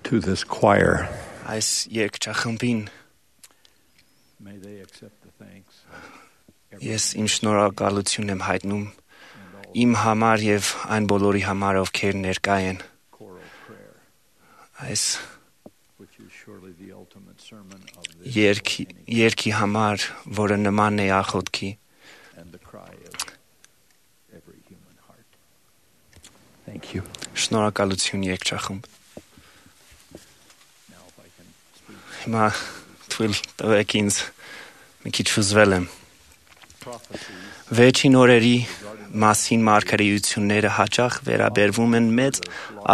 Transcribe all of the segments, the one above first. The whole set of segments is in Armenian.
to this choir. Այս երգչախմբին May they accept the thanks. ես իմ շնորհակալությունն եմ հայտնում իմ համար եւ այն բոլորի համար, ովքեր ներկա են Choral prayer, այս which is surely the ultimate sermon of this երգի համար, որը նման է աղոթքի and the cry of every human heart. Thank you. շնորհակալություն երգչախմբ։ Now if I can speak Հիմա թույլ տվեք ինձ մի քիչ ֆուզվել եմ։ prophecies Վերջին օրերի մասին մարգարեությունները հաճախ վերաբերվում են մեծ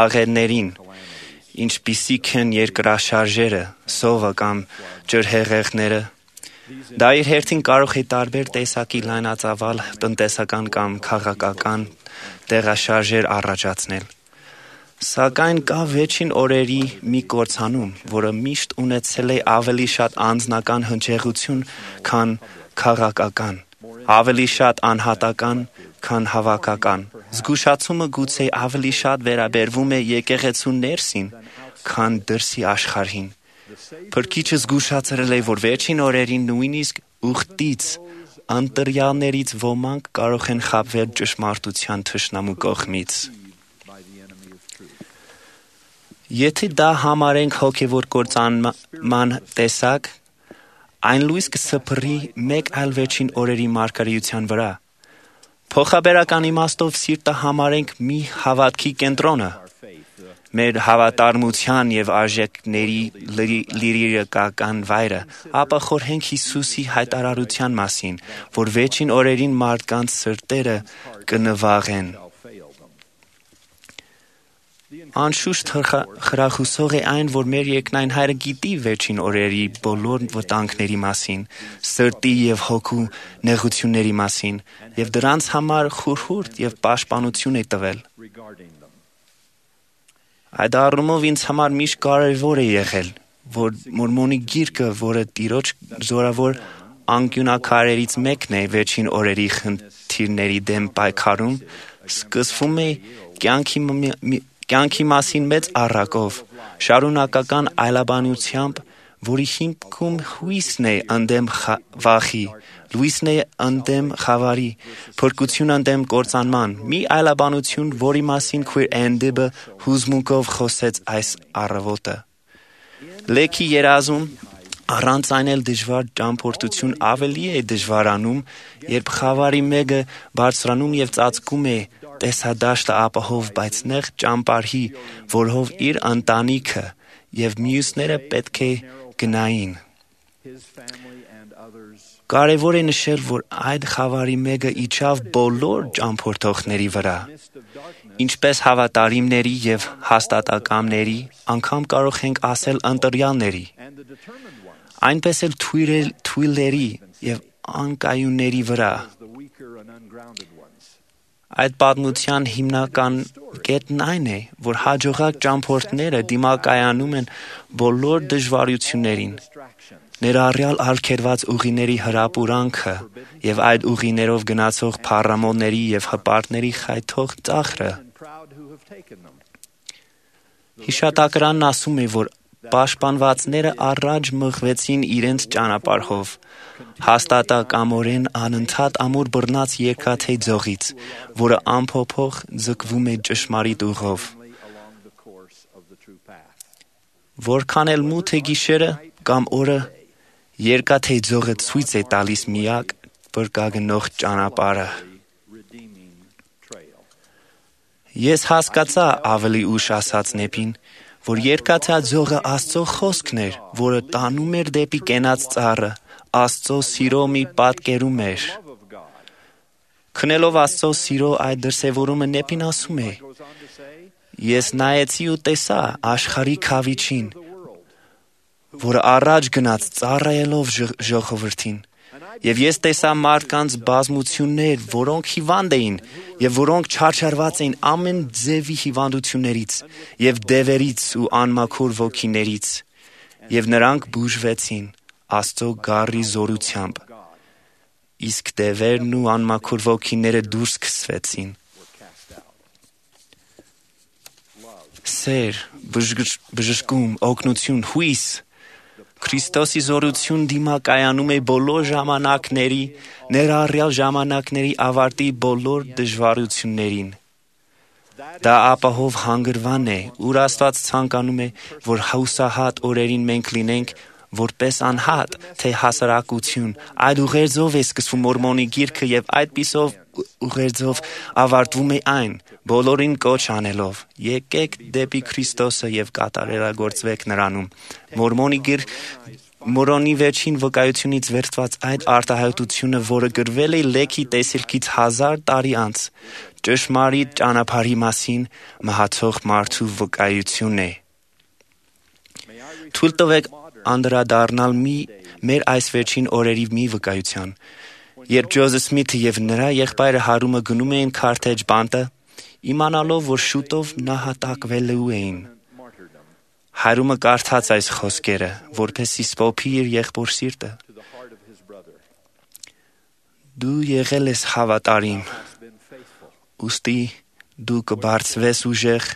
աղետներին, ինչպիսիք են երկրաշարժերը, սովը կամ ջրհեղեղները։ Դա իր հերթին կարող է տարբեր տեսակի լայնածավալ տնտեսական կամ քաղաքական տեղաշարժեր առաջացնել։ Սակայն կա վերջին օրերի մի կործանում, որը միշտ ունեցել է ավելի շատ անձնական հնչեղություն, քան քաղաքական, ավելի շատ անհատական, քան հավաքական։ Զգուշացումը գուցե ավելի շատ վերաբերվում է եկեղեցու ներսին, քան դրսի աշխարհին։ Փրկիչը զգուշացրել է, որ վերջին օրերին նույնիսկ ուխտից ընտրյալներից ոմանք կարող են խաբվել ճշմարտության թշնամու կողմից։ by the enemy of truth. Եթե դա համարենք հոգևոր կործանման տեսակ, այն լույս կսփռի մեկ այլ վերջին օրերի մարգարեության վրա։ Փոխաբերական իմաստով սիրտը համարենք մի հավատքի կենտրոնը, Our faith, մեր հավատարմության եւ արժեքների լիրիկական վայրը, ապա խորհենք Հիսուսի հայտարարության մասին, որ վերջին օրերին մարդկանց սրտերը կնվաղեն։ shall fail them. Անշուշտ խրախուսող է այն, որ մեր երկնային հայրը գիտի վերջին օրերի բոլոր վտանգների մասին, սրտի եւ հոգու նեղությունների մասին, եւ դրանց համար խորհուրդ եւ պաշտպանություն է տվել։ Regarding them. Այդ առումով ինձ համար միշտ կարևոր է եղել, որ Մորմոնի գիրքը, որը Տիրոջ զորավոր անկյունակարերից մեկն է վերջին օրերի խնդիրների դեմ պայքարում, սկսվում է կյանքի մասին մեծ առակով, շարունակական այլաբանությամբ, որի հիմքում հույսն է ընդդեմ վախի, լույսն է ընդդեմ խավարի, փրկություն ընդդեմ կործանման, մի այլաբանություն, որի մասին քույր Էնդիբը հուզմունքով խոսեց այս առավոտը։ Լեքի երազում առանց այն էլ դժվար ճամփորդություն ավելի է դժվարանում, երբ խավարի մեկը բարձրանում եւ ծածկում է տեսադաշտը ապահով, բայց նեղ ճամբարի, որով իր ընտանիքը եւ մյուսները պետք է գնային։ His family and others Կարևոր է նշել, որ այդ խավարի մեկը իջավ բոլոր ճամփորդողների վրա, midst of darkness ինչպես հավատարիմների եւ հաստատակամների, անգամ կարող ենք ասել ընտրյալների, and the determined ones այնպես էլ թույլերի եւ անկայունների վրա։ as the weaker and ungrounded ones. Այդ պատմության հիմնական կետն այն է, որ հաջողակ ճամփորդները դիմակայանում են բոլոր դժվարություններին, Distractions ներառյալ արգելված ուղիների հրապուրանքը եւ այդ ուղիներով գնացող փառամոլների եւ հպարտների խայթող ծախրը։ and proud who have taken them. Հիշատակարանն ասում է, որ պաշտպանվածները առաջ մղվեցին իրենց ճանապարհով, հաստատակամորեն անընդհատ ամուր բռնած երկաթե ձողից, որը ամփոփող ձգվում է ճշմարիտ ուղով։ Along the course of the true path. Որքան էլ մութ է գիշերը կամ օրը, երկաթե ձողը ցույց է տալիս միակ բրկագնող ճանապարհը։ Redeeming trail. Ես հասկացա ավելի ուշ ասած նեպին, որ երկաթա ձողը Աստծո խոսքն էր, որը տանում էր դեպի կենաց ծառը, Աստծո սիրո մի պատկերում էր։ Love of God Քնելով Աստծո սիրո այդ դրսևորումը նեպին ասում է. goes on to say, Ես նայեցի ու տեսա աշխարհի քավիչին, the world. որը առաջ գնաց ծառայելով ժողովրդին։ Եվ ես տեսա մարդկանց բազմություններ, որոնք հիվանդ էին եւ որոնք չարչարված էին ամեն ձևի հիվանդություններից եւ դևերից ու անմաքուր ոգիներից, եւ նրանք բուժվեցին Աստծո գառի զորությամբ, իսկ դևերն ու անմաքուր ոգիները դուրս քսվեցին։ Were cast out. Love սեր, բժշկում, օգնություն, հույս։ Քրիստոսի զորություն դիմակայանում է բոլոր ժամանակների, ներառյալ ժամանակների ավարտի բոլոր դժվարություններին։ Դա ապահով հանգրվան է, ուր Աստված ցանկանում է, որ հուսահատ օրերին մենք լինենք, որպես անհատ, թե հասարակություն։ Այդ ուղերձով է սկսվում Մորմոնի գիրքը եւ այդպիսով ուղերձով ավարտվում է այն, բոլորին կոչ անելով. եկեք դեպի Քրիստոսը եւ կատարելագործվեք նրանում։ Մորոնի վերջին վկայությունից վերցված այդ արտահայտությունը, որը գրվել է Լեքի տեսիլքից 1000 տարի անց, ճշմարիտ ճանապարհի մասին մահացող մարդու վկայությունն է։ Թույլ տվեք անդրադառնալ մեր այս վերջին օրերի մի վկայության։ Երբ Ջոզեֆ Սմիթը եւ նրա եղբայրը Հարումը գնում էին քարթեջ բանտը, իմանալով, որ շուտով նահատակվելու էին, Հարումը կարդաց այս խոսքերը, որպեսզի սփոփի իր եղբոր սիրտը. Դու եղել ես հավատարիմ, ուստի դու կբարձվես ուժեղ,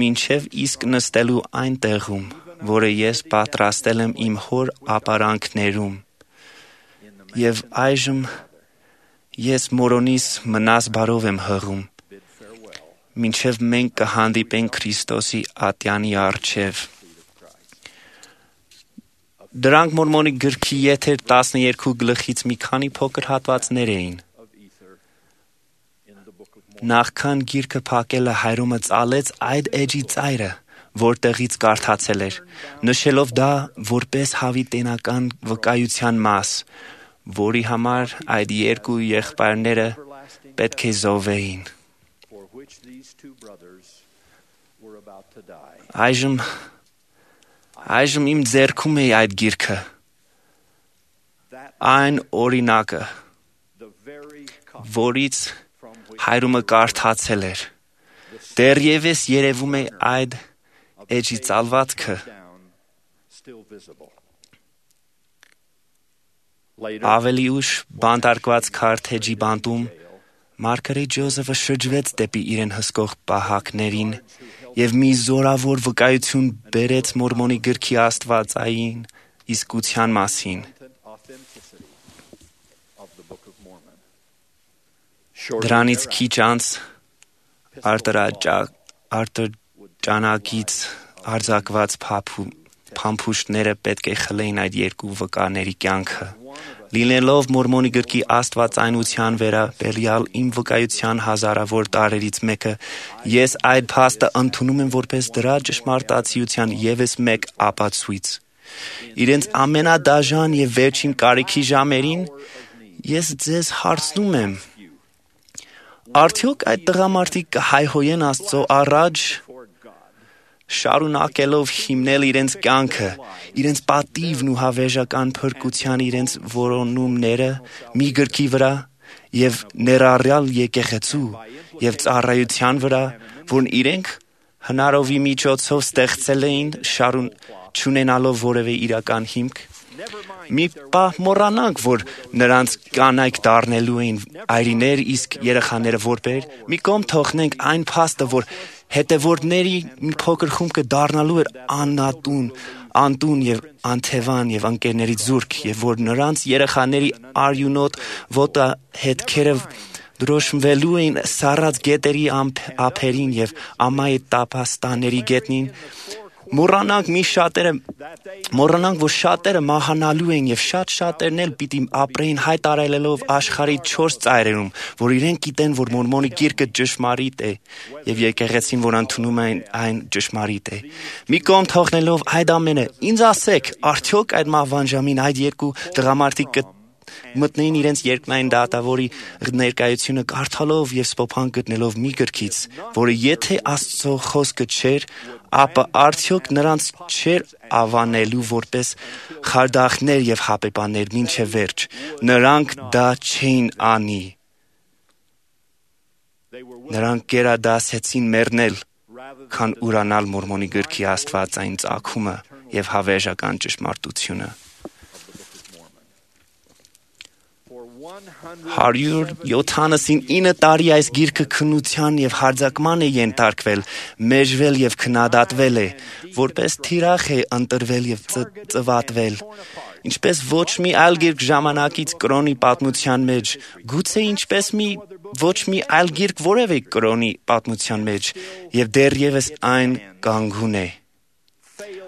մինչև իսկ նստելու այն տեղում, որը ես պատրաստել եմ իմ հոր ապարանքներում։ Եվ այժմ ես Մորոնիս մնաս բարով եմ հղում, մինչև մենք կհանդիպենք Քրիստոսի ատյանի առջև։ Դրանք Մորմոնի գրքի եթեր 12 գլխից մի քանի փոքր հատվածներ էին։ Նախքան գիրքը փակելը Հայրումը ծալեց այդ էջի ծայրը, որտեղից կարդացել էր, նշելով դա որպես հավիտենական վկայության մաս, որի համար այդ երկու եղբայրները պետք է զոհվեին։ Այժմ իմ ձեռքում է այդ գիրքը, այն օրինակը, որից Հայրումը կարդացել էր։ Դեռևս երևում է այդ էջի ծալվածքը։ Ավելի ուշ բանտարկված քարթեջի բանտում Մարգարետ Ջոզեֆը շրջվեց դեպի իրեն հսկող պահակներին եւ մի զորավոր վկայություն բերեց Մորմոնի գրքի աստվածային իսկության մասին։ Դրանից քիչ անց արտրջանակից արձակված փամփուշտները պետք է խլեին այդ երկու վկաների կյանքը։ Լինելով Մորմոնի գրքի աստվածայնության վերաբերյալ իմ վկայության հազարավոր տարերից մեկը, ես այդ փաստը ընդունում եմ որպես դրա ճշմարտացիության ևս մեկ ապացույց։ Իրենց ամենադաժան եւ վերջին կարիքի ժամերին ես ձեզ հարցնում եմ. արդյոք այդ տղամարդիկ կհայհոյեն Աստծո առաջ, շարունակելով հիմնել իրենց կյանքը, իրենց պատիվն ու հավերժական փրկության իրենց որոնումները մի գրքի վրա եւ ներառյալ եկեղեցու եւ ծառայության վրա, որն իրենք հնարովի միջոցով ստեղծել էին, չունենալով որևէ իրական հիմք։ Մի պահ մոռանանք, որ նրանց կանայք դառնելու էին այրիներ, իսկ երեխաները որբեր։ Մի կողմ թողնենք այն փաստը, որ հետևորդների մի փոքր խումբը դառնալու էր անտուն եւ անթևան եւ ընկերներից զուրկ, եւ որ նրանց երեխաների արյունոտ ոտահետքերը դրոշմվելու էին սառած գետերի ափերին եւ ամայի տափաստանների գետնին։ Մոռանանք, որ շատերը մահանալու են եւ շատերն էլ պիտի ապրեին հայտարարելով աշխարհի 4 ծայրերում, որ իրենք գիտեն, որ Մորմոնի գիրքը ճշմարիտ է եւ եկեղեցին, որ ընդունում են այն ճշմարիտ է։ Մի կողմ թողնելով այդ ամենը, ինձ ասեք, արդյոք այդ մահվան ժամին այդ երկու տղամարդիկ մտնեին իրենց երկնային դատավորի ներկայությունը կարդալով եւ սփոփան գտնելով մի գրքից, որը եթե Աստծո խոսքը չէր, ապա արդյոք նրանց չէր ավանելու որպես խարդախներ եւ հապեպաներ մինչև վերջ։ Նրանք դա չէին անի։ Նրանք գերադասեցին մեռնել, քան ուրանալ Մորմոնի գրքի աստվածային ծագումը եւ հավերժական ճշմարտությունը։ 179 տարի այս գիրքը քննության եւ հարձակման է ենթարկվել, մեժվել եւ քննադատվել է, որպես թիրախ է ընտրվել եւ ծվատվել։ Ինչպես ոչ մի այլ գիրք ժամանակից կրոնի պատմության մեջ, գուցե ինչպես ոչ մի այլ գիրք որևէ կրոնի պատմության մեջ, եւ դեռևս այն կանգուն է։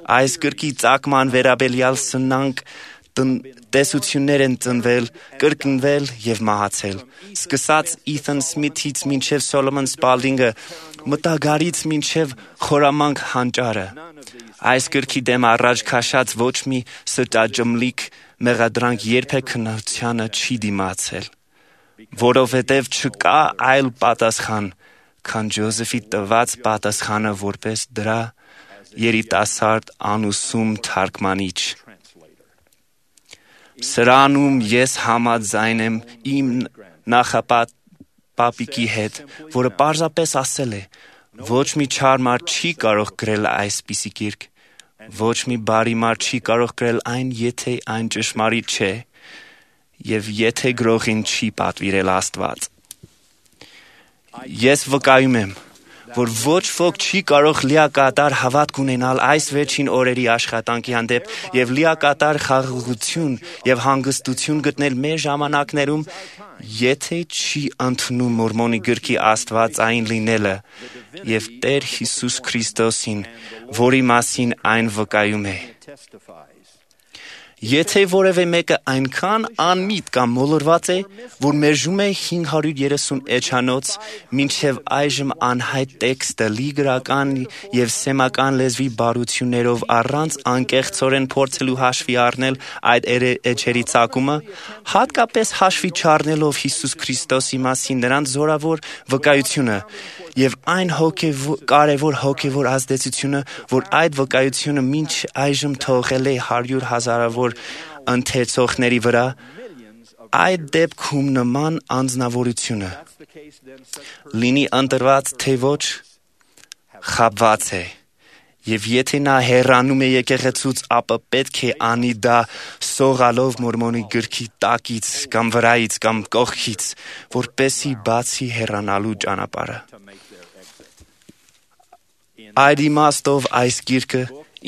Այս գրքի ծագման վերաբերյալ սնանկ տեսություններ են ծնվել, կրկնվել եւ մահացել։ Սկսած Իթան Սմիթից մինչեւ Սոլոմոն Սպալդինգը, մտագարից մինչեւ խորամանկ հանճարը։ Այս գրքի դեմ առաջ քաշած ոչ մի սրտաջմլիկ մեղադրանք երբեք քննությանը չի դիմացել, որովհետև չկա այլ պատասխան, քան Ջոզեֆի տված պատասխանը որպես դրա երիտասարդ անուսում թարգմանիչ։ Սրանում ես համաձայն եմ իմ նախապապիկի հետ, որը պարզապես ասել է. ոչ մի չար մարդ չի կարող գրել այսպիսի գիրք, ոչ մի բարի մարդ չի կարող գրել այն, եթե այն ճշմարիտ չէ, եւ եթե գրողին չի պատվիրել Աստված։ Ես վկայում եմ, որ ոչ ոք չի կարող լիակատար հավատք ունենալ այս վերջին օրերի աշխատանքի հանդեպ եւ լիակատար խաղաղություն եւ հանգստություն գտնել մեր ժամանակներում, եթե չի ընդունում Մորմոնի գրքի աստվածային լինելը եւ Տեր Հիսուս Քրիստոսին, որի մասին այն վկայում է։ Եթե որևէ մեկը այնքան անմիտ կամ մոլորված է, որ մերժում է 530 էջանոց, մինչև այժմ անհայտ տեքստը լի գրական եւ սեմական լեզվի բարություններով առանց անկեղծորեն փորձելու հաշվի առնել այդ էջերի ծագումը, հատկապես հաշվի չառնելով Հիսուս Քրիստոսի մասին նրանց զորավոր վկայությունը եւ այն կարևոր հոգեվոր ազդեցությունը, որ այդ վկայությունը մինչ այժմ թողել է 100,000-ավոր ընթերցողների վրա, այդ դեպքում նման անձնավորությունը լինի ընտրված թե ոչ, խաբված է, եւ եթե նա հեռանում է եկեղեցուց, ապա պետք է անի դա սողալով Մորմոնի գրքի տակից կամ վրայից կամ կողքից, որպեսզի բացի հեռանալու ճանապարհը։ Այդ իմաստով այս գիրքը,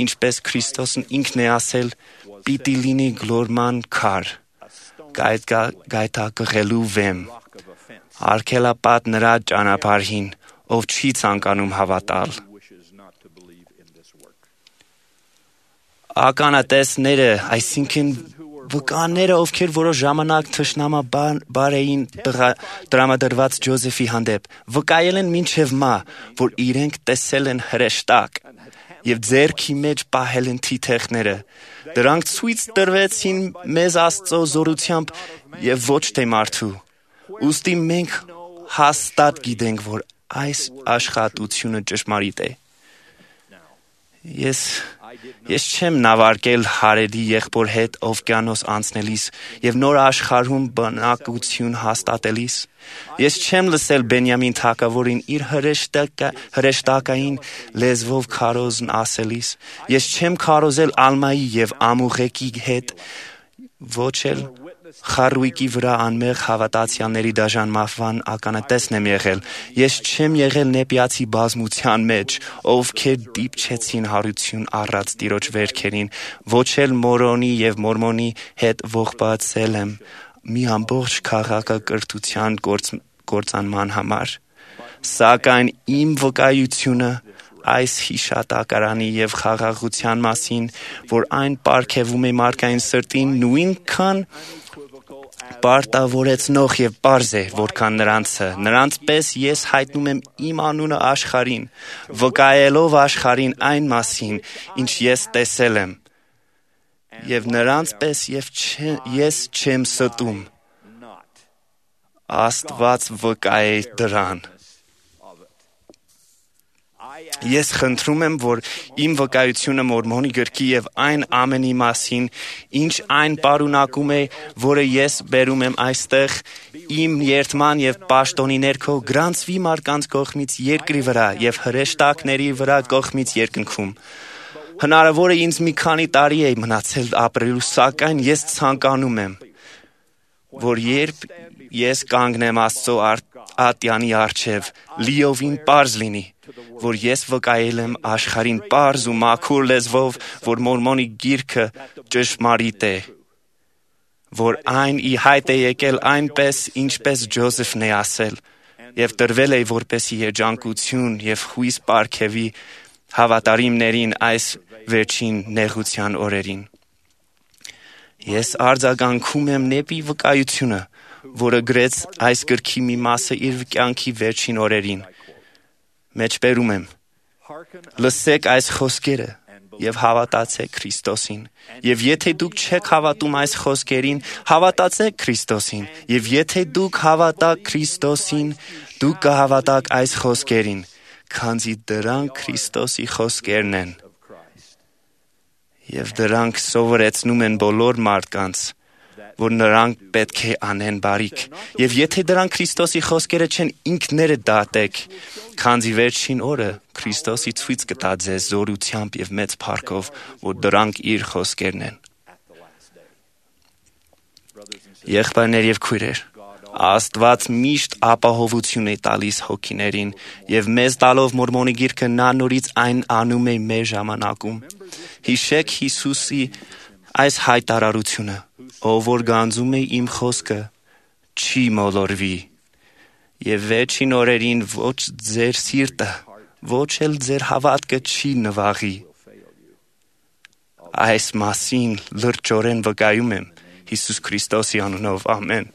ինչպես Քրիստոսն ինքն է ասել, պիտի լինի գլորման քար, գայթակղելու վեմ, արգելապատ նրա ճանապարհին, ով չի ցանկանում հավատալ։ Ականատեսները, այսինքն վկաները, ովքեր որոշ ժամանակ թշնամաբար էին տրամադրված Ջոզեֆի հանդեպ, վկայել են մինչև մահ, որ իրենք տեսել են հրեշտակ եւ ձեռքի մեջ պահել են թիթեղները։ Դրանք ցույց տրվեցին մեզ Աստծո զորությամբ եւ ոչ թե մարդու։ Ուստի մենք հաստատ գիտենք, որ այս աշխատությունը ճշմարիտ է։ Ես չեմ նավարկել Հարեդի եղբոր հետ օվկիանոս անցնելիս եւ նոր աշխարհում բնակություն հաստատելիս։ Ես չեմ լսել Բենյամին թագավորին իր հրեշտակային լեզվով քարոզն ասելիս։ Ես չեմ քարոզել Ալմայի եւ Ամուղեկի հետ, ոչ էլ Խարույկի վրա անմեղ հավատացյալների դաժան մահվան ականատեսն եմ եղել։ Ես չեմ եղել նեպիացի բազմության մեջ, ովքեր դիպչեցին հարություն առած տիրոջ վերքերին, ոչ էլ Մորոնի եւ Մորմոնի հետ ողբացել եմ մի ամբողջ քաղաքակրթության կործանման համար։ Սակայն իմ վկայությունը այս հիշատակարանի եւ խաղաղության մասին, որ այն պարգևում է մարդկային սրտին, նույնքան պարտավորեցնող եւ պարզ է, որքան նրանցը։ Նրանց պես ես հայտնում եմ իմ անունը աշխարհին, վկայելով աշխարհին այն մասին, ինչ ես տեսել եմ, եւ նրանց պես ես չեմ ստում։ Աստված վկայ է դրան։ Ես խնդրում եմ, որ իմ վկայությունը Մորմոնի գրքի եւ այն ամենի մասին, ինչ այն պարունակում է, որը ես բերում եմ այստեղ, իմ երդման եւ պաշտոնի ներքո գրանցվի մարդկանց կողմից երկրի վրա եւ հրեշտակների վրա կողմից երկնքում։ Հնարավոր է ինձ մի քանի տարի է մնացել ապրելու, սակայն ես ցանկանում եմ, որ երբ ես կանգնեմ Աստծո ատյանի առջև, լիովին պարզ լինի, որ ես վկայել եմ աշխարհին պարզ ու մաքուր լեզվով, որ Մորմոնի գիրքը ճշմարիտ է, որ այն ի հայտ է եկել այնպես, ինչպես Ջոզեֆն է ասել, եւ տրվել է որպեսի երջանկություն եւ հույս պարգևի հավատարիմներին այս վերջին նեղության օրերին։ Ես արձագանքում եմ նեպի վկայությունը, որը գրեց այս գրքի մի մասը իր կյանքի վերջին օրերին։ Մեջբերում եմ. լսեք այս խոսքերը եւ հավատացեք Քրիստոսին։ Եվ եթե դուք չեք հավատում այս խոսքերին, հավատացեք Քրիստոսին։ Եվ եթե դուք հավատաք Քրիստոսին, դուք կհավատաք այս խոսքերին, քանզի դրանք Քրիստոսի խոսքերն են։ Եվ դրանք սովորեցնում են բոլոր մարդկանց, որ նրանք պետք է անեն բարիք։ Եվ եթե դրանք Քրիստոսի խոսքերը չեն, ինքներդ դատեք, քանզի վերջին օրը Քրիստոսի ցույց կտա ձեզ զորությամբ եւ մեծ փառքով, որ դրանք իր խոսքերն են։ Եղբայրներ եւ քույրեր, Աստված միշտ ապահովություն է տալիս հոգիներին եւ մեզ տալով Մորմոնի գիրքը նա նորից այն անում է մեր ժամանակում։ Հիշեք Հիսուսի այս հայտարարությունը. ով որ գանձում է իմ խոսքը, չի մոլորվի։ Եվ վերջին օրերին ոչ ձեր սիրտը, ոչ էլ ձեր հավատքը չի նվաղի։ Այս մասին լրջորեն վկայում եմ Հիսուս Քրիստոսի անունով, ամեն։